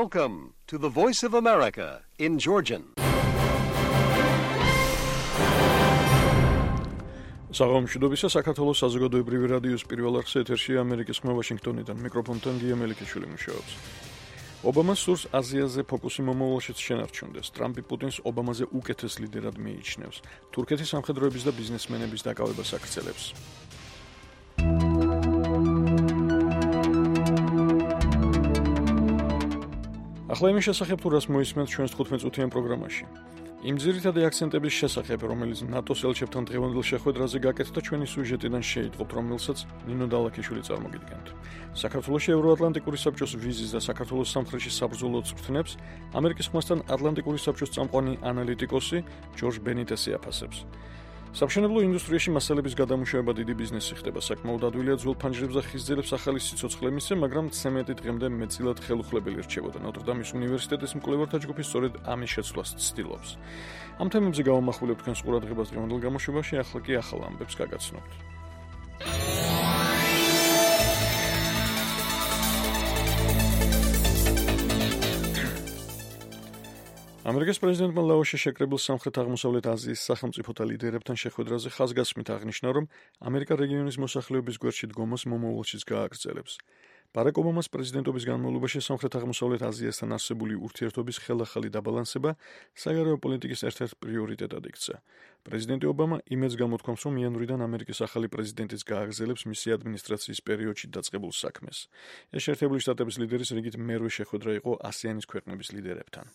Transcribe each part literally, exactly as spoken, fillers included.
Welcome to the Voice of America in Georgian. საღამოშიდობისა საქართველოს საზოგადოებრივი რადიოს პირველ არხზე ეთერში ამერიკის ხმა ვაშინგტონიდან მიკროფონთან გია მელიქიშვილი მუშაობს. ობამას სურს აზიაზე ფოკუსი მომავალშიც შენარჩუნდეს. ტრამპი პუტინს ობამაზე უკეთეს ლიდერად მიიჩნევს. თურქეთის სამხედროების და ბიზნესმენების დაკავებას აგრძელებს. ახლა იმის შესახებ თუ რას მოისმენთ ჩვენს თხუთმეტ-წუთიან პროგრამაში. იმ ძირითადი აქცენტების შესახებ, რომელიც ნატოს ელჩებთან დღევანდელ შეხვედრაზე გაკეთდა, ჩვენი სიუჟეტიდან შეიტყობთ, რომელსაც ნინო დალაქიშვილი წარმოგიდგენთ. საქართველოში ევროატლანტიკური საბჭოს ვიზის და საქართველოს სამხრეთში საბრძოლო წვრთნებს ამერიკის ხმასთან ატლანტიკური საბჭოს წამყვანი ანალიტიკოსი ჯორჯ ბენიტესი აფასებს. სამშენებლო ინდუსტრიაში მასალების გადამუშავება დიდი ბიზნესი ხდება, საკმაოდ ადვილია ძველ ფანჯრებს და ხისძირებს ახალი სიცოცხლე მისცე, მაგრამ ცემენტი დღემდე მეტწილად ხელუხლებელი რჩებოდა. ნოტრდამის უნივერსიტეტის მკვლევართა ჯგუფი სწორედ ამის შეცვლას ცდილობს. ამ თემებზე გავამახვილებ თქვენს ყურადღებას დღევანდელ გამოშვებაში, ახლა კი ახალ ამბებს გაგაცნობთ. ამერიკის პრეზიდენტმა ლაოსში შეკრებილ სამხრეთ-აღმოსავლეთ აზიის სახელმწიფოთა ლიდერებთან შეხვედრაზე ხაზგასმით აღნიშნა, რომ ამერიკა რეგიონის მოსახლეობის გვერდში დგომას მომავალშიც გააგრძელებს. ბარაკ ობამას პრეზიდენტობის განმავლობაში სამხრეთ-აღმოსავლეთ აზიასთან არსებული ურთიერთობის ხელახალი დაბალანსება საგარეო პოლიტიკის ერთ-ერთ პრიორიტეტად იქცა. პრეზიდენტი ობამა იმედს გამოთქვამს, რომ იანვრიდან ამერიკის ახალი პრეზიდენტიც გააგრძელებს მისი ადმინისტრაციის პერიოდში დაწყებულ საქმეს. ეს შეერთებული შტატების ლიდერის რიგით მერვე შეხვედრა იყო ასიანის ქვეყნების ლიდერებთან.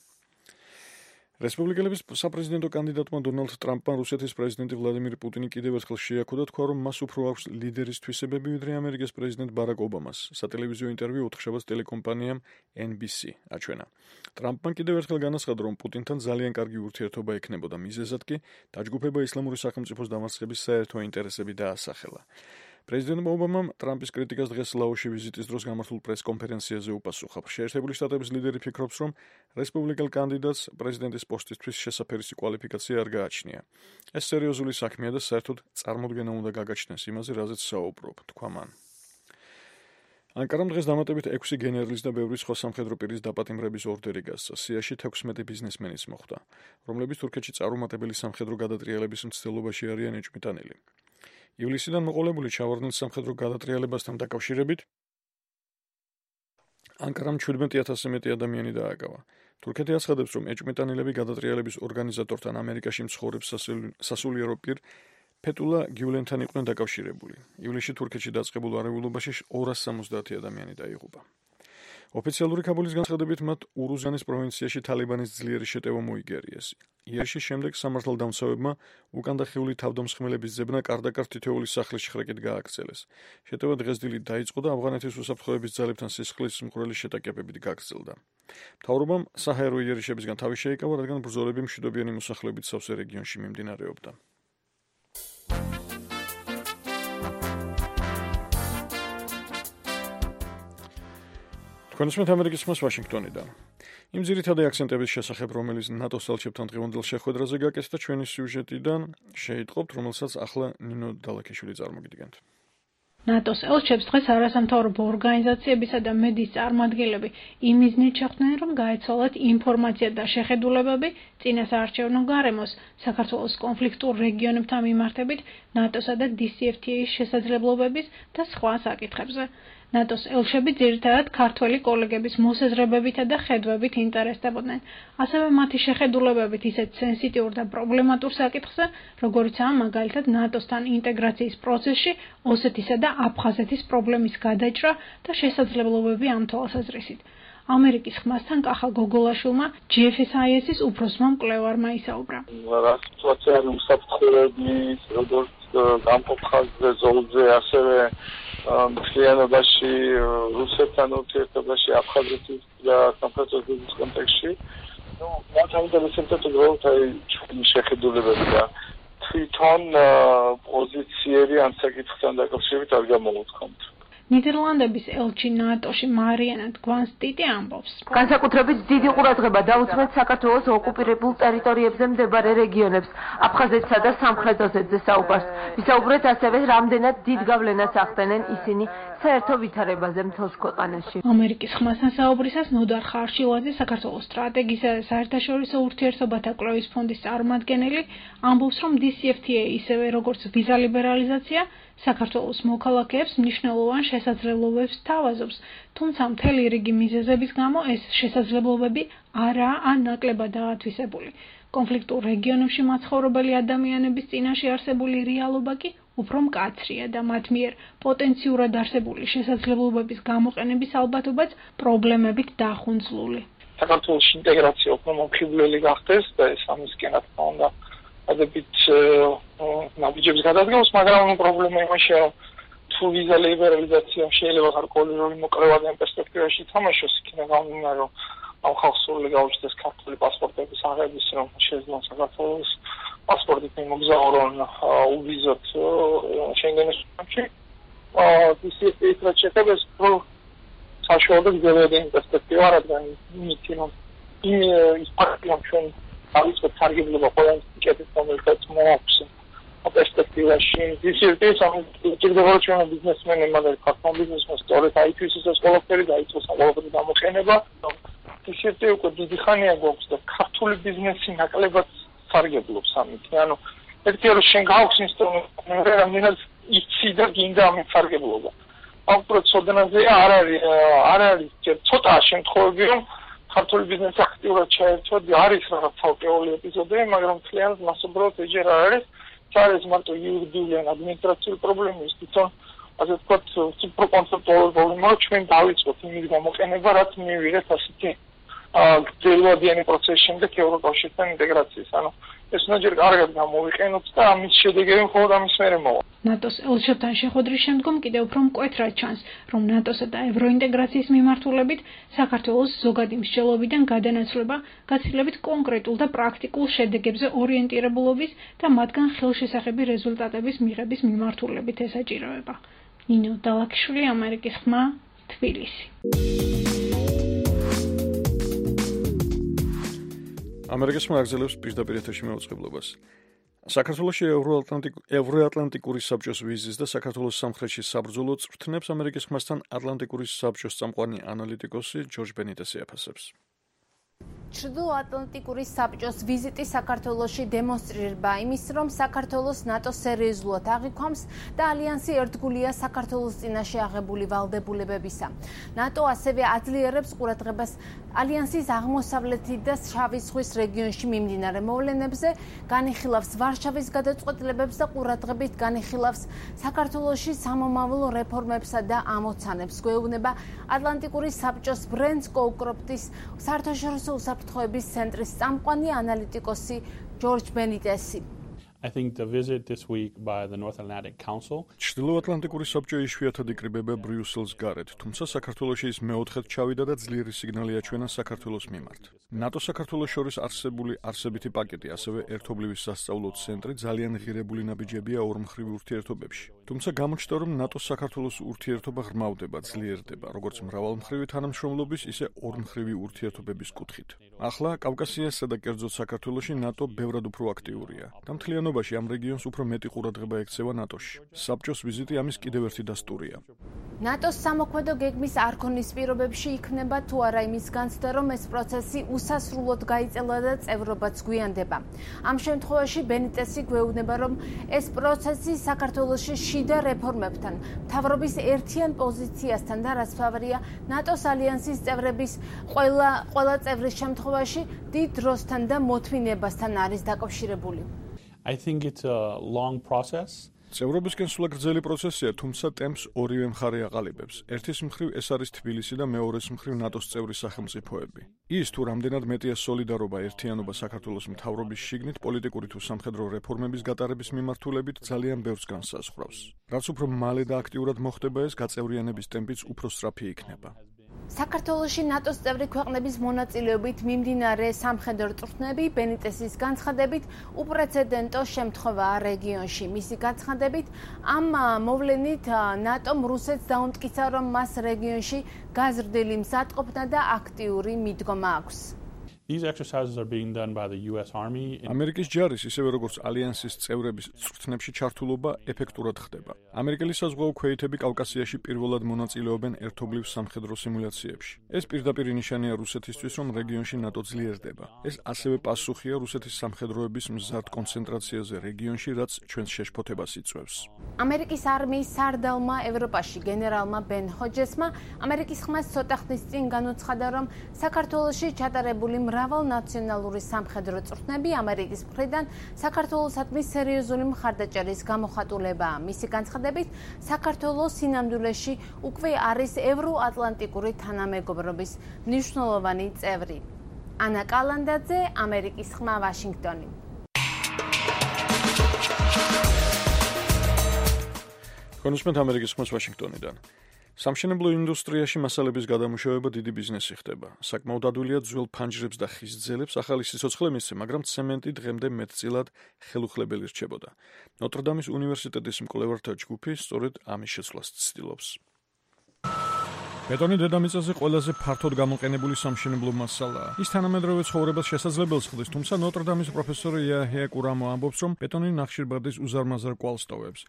რესპუბლიკელების საპრეზიდენტო კანდიდატმა დონალდ ტრამპმა რუსეთის პრეზიდენტი ვლადიმირ პუტინი კიდევ ერთხელ შეაქო და თქვა, რომ მას უფრო აქვს ლიდერის თვისებები, ვიდრე ამერიკის პრეზიდენტ ბარაკ ობამას. სატელევიზიო ინტერვიუ ოთხშაბათს ტელეკომპანიამ ენ ბი სი აჩვენა. ტრამპმა კიდევ ერთხელ განაცხადა, რომ პუტინთან ძალიან კარგი ურთიერთობა ექნებოდა, მიზეზად კი დაჯგუფება ისლამური სახელმწიფოს დამარცხების საერთო ინტერესები დაასახელა. პრეზიდენტ ობამამ ტრამპის კრიტიკას დღეს ლაოსში ვიზიტის დროს გამართულ პრეს-კონფერენციაზე უპასუხა. შეერთებული შტატების ლიდერი ფიქრობს, რომ რესპუბლიკელ კანდიდატს პრეზიდენტის პოსტისთვის შესაფერისი კვალიფიკაცია არ გააჩნია. ეს სერიოზული საქმეა და საერთოდ წარმოდგენა უნდა გაგაჩნდეს იმაზე, რაზეც საუბრობ, თქვა მან. ანკარამ დღეს დამატებით ექვსი გენერლის და ბევრი სხვა სამხედრო პირის დაპატიმრების ორდერი გასცა. სიაში თექვსმეტი ბიზნესმენის მოხვდა, რომლებიც თურქეთში წარუმატებელი სამხედრო გადატრიალების მცდელობაში არიან ეჭვმიტანილი. ივლისიდან მოყოლებული ჩავარდნილ სამხედრო გადატრიალებასთან დაკავშირებით ანკარამ ჩვიდმეტი ათასზე მეტი ადამიანი დააკავა. თურქეთი აცხადებს, რომ ეჭვმიტანილები გადატრიალების ორგანიზატორთან ამერიკაში მცხოვრებ სასულიერო პირ ფეტულა გიულენთან იყვნენ დაკავშირებული. ივლისში თურქეთში დაწყებულ არეულობაში ორასი სამოცდაათი ადამიანი დაიღუპა. ოფიციალური ქაბულის განცხადებით მათ ურუზანის პროვინციაში თალიბანის ძლიერი შეტევა მოიგერიეს. იერში შემდეგ სამართალდამცავებმა უკანდახეული თავდამსხმელების ძებნა კარდაკარ თითოეული სახლის შხრეკით გააგრძელეს. შეტევა დღეს დილით დაიწყო და ავღანეთის უსაფრთხოების ძალებთან სისხლის მკვრელი შეტაკებებით გაგრძელდა. მთავრობამ საჰაერო იერიშებისგან თავი შეიკავა, რადგან ბრძოლები მშვიდობიანი მოსახლეობით სავსე რეგიონში მიმდინარეობდა. თქვენს ამერიკის ხმას ვაშინგტონიდან. იმ ძირითადი აქცენტების შესახებ, რომელიც ნატოს ელჩებთან დღევანდელ შეხვედრაზე გაკეთდა, ჩვენი სიუჟეტიდან შეიტყობთ, რომელსაც ახლა ნინო დალაქიშვილი წარმოგიდგენთ. ნატოს ელჩებს დღეს არასამთავრობო ორგანიზაციებისა და მედიის წარმომადგენლები იმ მიზნით შეხვდნენ, რომ გაეცვალათ ინფორმაცია და შეხედულებები წინასაარჩევნო გარემოს, საქართველოს კონფლიქტურ რეგიონებთან მიმართებით, ნატოსა და დი სი ეფ თი ეის შესაძლებლობების და სხვა საკითხებზე. ნატოს ელჩები ძირითადად ქართველი კოლეგების მოსაზრებებითა და ხედვებით ინტერესდებოდნენ. ასევე მათი შეხედულებებით ისეთ სენსიტიურ და პრობლემატურ საკითხზე, როგორიცაა მაგალითად ნატოსთან ინტეგრაციის პროცესში ოსეთისა და აფხაზეთის პრობლემის გადაჭრა და შესაძლებლობები ამ თვალსაზრისით. ამერიკის ხმასთან კახა გოგოლაშვილმა ჯი ეფ ეს აი ეს-ის უფროსმა მკვლევარმა ისაუბრა. რაც სოციალური უსაფრთხოების, როგორც გამყოფხაზე ზოლზე, ასევე მთლიანობაში რუსეთთან ურთიერთობაში, აფხაზეთის და სამხედროების კონტექსტში, ну, მათ აინტერესებდა უბრალოდ აი ჩვენი შეხედულებები და თვითონ პოზიციები ამ საკითხთან დაკავშირებით არ გამოვთქვამთ. ნიდერლანდების ელჩი ნატოში მარიანა გვანსტიტი ამბობს. განსაკუთრებით დიდი ყურადღება დაუთმეთ საქართველოს ოკუპირებულ ტერიტორიებზე მდებარე რეგიონებს, აფხაზეთსა და სამხრეთ ოსეთზე საუბარს. ვისაუბრეთ ასევე, რამდენად დიდ გავლენას ახდენენ ისინი საერთო ვითარებაზე მთელს ქვეყანაში. ამერიკის ხმასთან საუბრისას ნოდარ ხარშილაძე, საქართველოს სტრატეგიისა და საერთაშორისო ურთიერთობათა კვლევის ფონდის წარმომადგენელი, ამბობს, რომ დი სი ეფ თი ეი ისევე როგორც ვიზა ლიბერალიზაცია საქართველოს მოქალაქეებს მნიშვნელოვან შესაძლებლობებს თავაზობს, თუმცა მთელი რიგი მიზეზების გამო ეს შესაძლებლობები არაა ან ნაკლებად დაათვისებული. კონფლიქტურ რეგიონებში მაცხოვრებელი ადამიანების წინაშე არსებული რეალობა კი უფრო მკაცრია და მათ მიერ პოტენციურად არსებული შესაძლებლობების გამოყენების ალბათობაც პრობლემებით დახუნძლული. საქართველოს ინტეგრაცია უფრო მომხიბვლელი გახდეს და ეს ამისკენ რა თქმა უნდა ადებით ნაბიჯებს გადადგავს, მაგრამ პრობლემა იმაშია, რომ თუ ვიზა ლიბერალიზაცია შეიძლება გარკვეული როლი მოკრევადიან პერსპექტივაში თამაშოს, იქნება გამომდინარე, რომ ამ ხალხს სრული გაუჩნდეს ქართული პასპორტების აღების, რომ შეძლონ საქართველოს პასპორტით მოგზაურონ uvizot შენგენის სამში. დი სი ეფ თი-ის რაც შეეხება პრო საშუალო გზებიანი პერსპექტივა, რადგან იმითი რომ ის ფაქტია, ჩვენ აიწყოთ სარგებლობა ყველას ტიკეტის რომელსაც მოაქვს პერსპექტივაში. დი სი ეფ თი-ის ამიტომაც ჩვენ ბიზნესმენებმა და ქართულ ბიზნესმენს სწორედ აითვის ეს ყველაფერი დაიწყოს ყველაფერი გამოყენება. დი სი ეფ თი უკვე დიდი ხანია გვაქვს და ქართული ბიზნესი ნაკლებად სარგებლობს ამით. ანუ ერთი რომ შენ გაქვს ინსტრუმენტი, რამდენად იცი და გინდა ამით სარგებლობა. ამ პროცედურაზე არ არის არ არის ცოტა შემთხვევები, რომ ქართული ბიზნესი აქტიურად ჩაერთვა, არის რაღაც ცალკეული ეპიზოდები, მაგრამ მთლიანად მასობრივად ეჯერ არ არის. არის მარტო იურიდიული ან ადმინისტრაციული პრობლემის, თვითონ ასე ვთქვათ, სუპრაკონცეპტუალური პრობლემა, რომ ჩვენ დავიწყოთ იმის გამოყენება, რაც მივიღეთ ასეთი გრძელვადიანი პროცესის შემდეგ ევროკავშირთან ინტეგრაციის. ანუ ეს უნდა ჯერ კარგად გამოვიყენოთ და ამის შედეგები მხოლოდ ამის მერე მოვა. ნატოს ელჩებთან შეხვედრის შემდგომ კიდევ უფრო მკვეთრად ჩანს, რომ ნატოსა და ევროინტეგრაციის მიმართულებით საქართველოს ზოგადი მსჯელობიდან გადანაცვლება გაცილებით კონკრეტულ და პრაქტიკულ შედეგებზე ორიენტირებულობის და მათგან ხელშესახები რეზულტატების მიღების მიმართულებით ესაჭიროება. ნინო დალაკიშვილი, ამერიკის ხმა, თბილისი. ამერიკის მაგზელებს პირდაპირ ეთერში მეუწყებლობას. საქართველოში ევროატლანტიკური საბჭოს ვიზის და საქართველოს სამხრეთში საბრძოლო წვრთნებს ამერიკის ხმასთან ატლანტიკური საბჭოს წამყვანი ანალიტიკოსი ჯორჯ ბენიტესი აფასებს. ჩრდილოატლანტიკური საბჭოს ვიზიტი საქართველოში დემონსტრირება იმის, რომ საქართველოს ნატო სერიოზულად აღიქვამს და ალიანსი ერთგულია საქართველოს წინაშე აღებული ვალდებულებებისა. ნატო ასევე აძლიერებს ყურადღებას ალიანსის აღმოსავლეთი და შავი ზღვის რეგიონში მიმდინარე მოვლენებზე, განიხილავს ვარშავის გადაწყვეტილებებს და ყურადღებით განიხილავს საქართველოში სამომავლო რეფორმებსა და ამოცანებს. გვეუბნება ატლანტიკური საბჭოს ბრენდს კოუკროპტის საერთაშორისო უსაფრთხოების ცენტრის წამყვანი ანალიტიკოსი ჯორჯ ბენიტესი. I think the visit this week by the North Atlantic Council. ჩრდილოატლანტიკური საბჭო იშვიათად იკრიბება ბრიუსელს გარეთ, თუმცა საქართველოში ის მეოთხედ ჩავიდა და ძლიერი სიგნალი აჩვენა საქართველოს მიმართ. ნატო საქართველოს შორის არსებული არსებითი პაკეტი, ასევე ერთობლივი სასწავლო ცენტრი ძალიან ღირებული ნაბიჯებია ორმხრივ ურთიერთობებში. თუმცა გამოჩნდა, რომ ნატოს საქართველოს ურთიერთობა ღრმავდება, ძლიერდება, როგორც მრავალმხრივი თანამშრომლობის, ისე ორმხრივი ურთიერთობების კუთხით. ახლა კავკასიასსა და კერძოდ საქართველოში ნატო ბევრად უფრო აქტიურია და მთლიანობაში ამ რეგიონს უფრო მეტი ყურადღება ექცევა ნატოში. საბჭოს ვიზიტი ამის კიდევ ერთი დასტურია. ნატოს სამოქმედო გეგმის არქონის პირობებში იქნება თუ არა იმის განცდა, რომ ეს პროცესი უსასრულოდ გაიწელა და წევრობაც გვიანდება. ამ შემთხვევაში ბენიტესი გვეუბნება, რომ ეს პროცესი საქართველოში შიდა რეფორმებთან, მთავრობის ერთიან პოზიციასთან და რაც ფავორია ნატოს ალიანსის წევრების ყველა ყველა წევრის შემთხვევაში დიდ დროსთან და მოთმინებასთან არის დაკავშირებული. I think it's a long process. წევრობისკენ სულა გრძელი პროცესია, თუმცა ტემპს ორივე მხარე აყალიბებს. ერთის მხრივ ეს არის თბილისი და მეორეს მხრივ ნატოს წევრი სახელმწიფოები. ის თუ რამდენად მეტია სოლიდარობა, ერთიანობა საქართველოს მთავრობის შიგნით პოლიტიკური თუ სამხედრო რეფორმების გატარების მიმართულებით ძალიან ბევრს განსაზღვრავს. რაც უფრო მალე და აქტიურად მოხდება ეს, გაწევრიანების ტემპიც უფრო სწრაფი იქნება. საქართველოში ნატოს წევრი ქვეყნების მონაწილეობით მიმდინარე სამხედრო წვრთნები ბენიტესის განცხადებით უპრეცედენტო შემთხვევაა რეგიონში. მისი განცხადებით ამ მოვლენით ნატომ რუსეთს დაუმტკიცა, რომ მას რეგიონში გაზრდილი მზადყოფნა და აქტიური მიდგომა აქვს. These exercises are being done by the U S Army. ამერიკის ჯარის, ისევე როგორც ალიანსის წევრების წვრთნებში ჩართულობა ეფექტურად ხდება. ამერიკელი საზღვაო ქვეითები კავკასიაში პირველად მონაწილეობენ ერთობლივ სამხედრო სიმულაციებში. ეს პირდაპირ ნიშანია რუსეთისთვის, რომ რეგიონში ნატო ძლიერდება. ეს ასევე პასუხია რუსეთის სამხედროების მზარდ კონცენტრაციაზე რეგიონში, რაც ჩვენს შეშფოთებას იწვევს. ამერიკის არმიის სარდალმა ევროპაში გენერალმა ბენ ჰოჯესმა ამერიკის ხმას ცოტა ხნის წინ განუცხადა, რომ საქართველოში ჩატარებული მრავალ ნაციონალური სამხედრო წვრთნები ამერიკის მხრიდან საქართველოსადმი სერიოზული მხარდაჭერის გამოხატულებაა. მისი განცხადებით, საქართველოს სინამდვილეში უკვე არის ევროატლანტიკური თანამეგობრობის მნიშვნელოვანი წევრი. ანა კალანდაძე, ამერიკის ხმა, ვაშინგტონი. კონსუმენტ ამერიკის ხმას ვაშინგტონიდან. სამშენებლო ინდუსტრიაში მასალების გადამუშავება დიდი ბიზნესი ხდება. საკმაოდ ადვილია ძველ ფანჯრებს და ხის ძელებს ახალი სიცოცხლე მისცე, მაგრამ ცემენტი დღემდე მეტწილად ხელუხლებელი რჩებოდა. ნოტრდამის უნივერსიტეტის მკვლევართა ჯგუფი სწორედ ამის შეცვლას ცდილობს. ბეტონი დედამიწაზე ყველაზე ფართოდ გამოყენებული სამშენებლო მასალაა. ის თანამედროვე ცხოვრებას შესაძლებელს ხდის, თუმცა ნოტრდამის პროფესორი იაჰია კურამო ამბობს, რომ ბეტონი ნახშირბადის უზარმაზარ კვალს ტოვებს.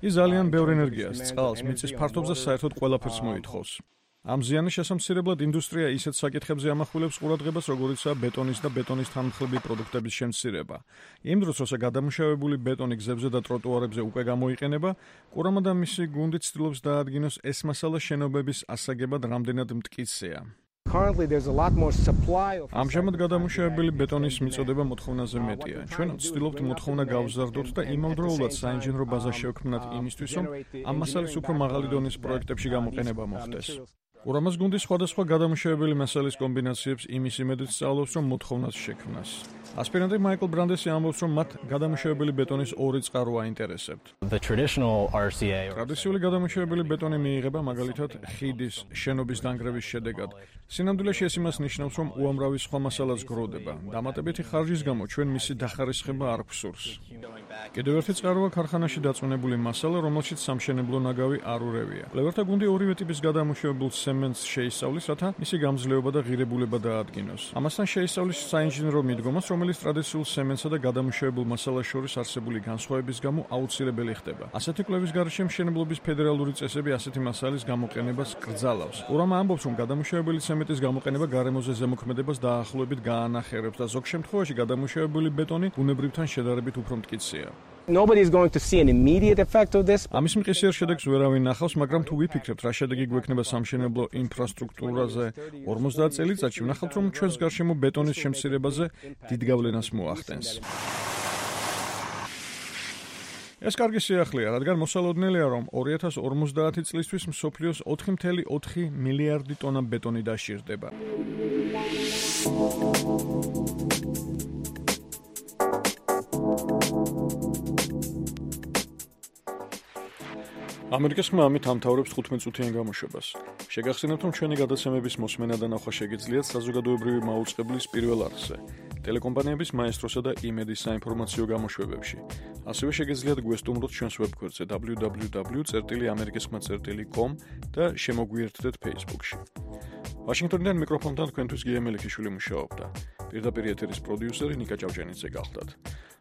ის ძალიან ბევრ ენერგიას, წყალს, მიწის ფართობს და საერთოდ ყველაფერს მოითხოვს. ამ ზიანის შესამცირებლად ინდუსტრია ისეთ საკითხებზე ამახვილებს ყურადღებას, როგორიცაა ბეტონის და ბეტონის თანმხლები პროდუქტების შემცირება. იმ დროს, როცა გადამუშავებული ბეტონი გზებზე და ტროტუარებზე უკვე გამოიყენება, კურამა და მისი გუნდი ცდილობს დაადგინოს ეს მასალა შენობების ასაგებად რამდენად მტკიცეა. ამჟამად გადამუშავებელი ბეტონის მიწოდება მოთხოვნაზე მეტია. ჩვენ ვცდილობთ მოთხოვნა გავზარდოთ და იმავდროულად საინჟინრო ბაზა შევქმნათ იმისთვის, რომ ამ მასალის უფრო მაღალი დონის პროექტებში გამოყენება მოხდეს. კურამას გუნდი სხვადასხვა გადამუშავებელი მასალის კომბინაციებს იმის იმედით სწავლობს, რომ მოთხოვნას შექმნას. ასპირანტი მაიკლ ბრანდესი ამბობს, რომ მათ გადამუშავებელი ბეტონის ორი წყარო აინტერესებთ. ტრადიციული გადამუშავებელი ბეტონი მიიღება მაგალითად ხიდის შენობის დანგრევის შედეგად. სინამდვილეში ეს იმას ნიშნავს, რომ უამრავი სხვა მასალაც გროვდება. დამატებითი ხარჯის გამო ჩვენ მისი დახარისხება არ გვსურს. კიდევ ერთი წყაროა ქარხანაში დაწუნებული მასალა, რომელშიც სამშენებლო ნაგავი არ ურევია. კვლევართა გუნდი ორივე ტიპის გადამუშავებულ ცემენტს შეისწავლის, რათა მისი გამძლეობა და ღირებულება დაადგინოს. ამასთან შეისწავლის საინჟინრო მიდგომას, რომელიც ტრადიციულ ცემენტსა და გადამუშავებულ მასალას შორის არსებული განსხვავების გამო აუცილებელი ხდება. ასეთი კვლევის გარეშე მშენებლობის ფედერალური წესები ასეთი მასალის გამოყენებას კრძალავს. კურამა ამბობს, რომ გადამუშავებელი ცემენტის გამოყენება გარემოზე ზემოქმედებას დაახლოებით გაანახერებს და ზოგ შემთხვევაში გადამუშავებული ბეტონი ბუნებრივთან შედარებით უფრო მტკიცეა. Nobody is going to see an immediate effect of this. ამის მყისიერ შედეგს ვერავინ ნახავს, მაგრამ თუ ვიფიქრებთ, რა შედეგი გვექნება სამშენებლო ინფრასტრუქტურაზე ორმოცდაათ წელიწადში, ვნახავთ, რომ ჩვენს გარშემო ბეტონის შემცირებაზე დიდ გავლენას მოახდენს. ეს კარგი სიახლეა, რადგან მოსალოდნელია, რომ ორი ათას ორმოცდაათი წლისთვის მსოფლიოს ოთხი კoma ოთხი მილიარდი ტონა ბეტონი დაშირდება. ამერიკის ხმა ამით ამთავრებს თხუთმეტ წუთიან გამოშვებას. შეგახსენებთ, რომ ჩვენი გადაცემების მოსმენა და ნახვა შეგიძლიათ საზოგადოებრივი მაუწყებლის პირველ არხზე, ტელეკომპანიების მაესტროსა და იმედის საინფორმაციო გამოშვებებში. ასევე შეგიძლიათ გვესტუმროთ ჩვენს ვებგვერდზე დაბლიუ დაბლიუ დაბლიუ წერტილი ამერიკის ხმა წერტილი კომ და შემოგვიერთდეთ Facebook-ში. ვაშინგტონიდან მიკროფონთან თქვენთვის გია მელიქიშვილი მუშაობდა. პირდაპირ ეთერის პროდიუსერი ნიკა ჭავჭანიძე გახლდათ.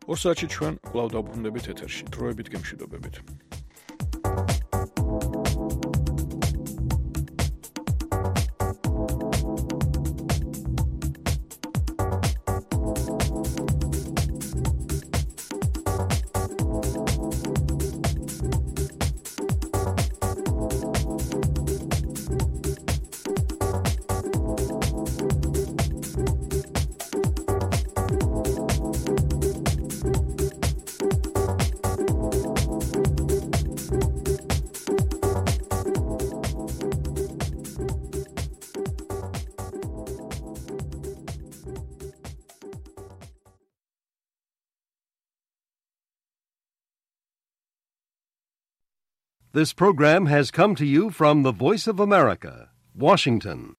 ორ საათში ჩვენ კვლავ დავბრუნდებით ეთერში. დროებით გემშვიდობებით. This program has come to you from the Voice of America, Washington.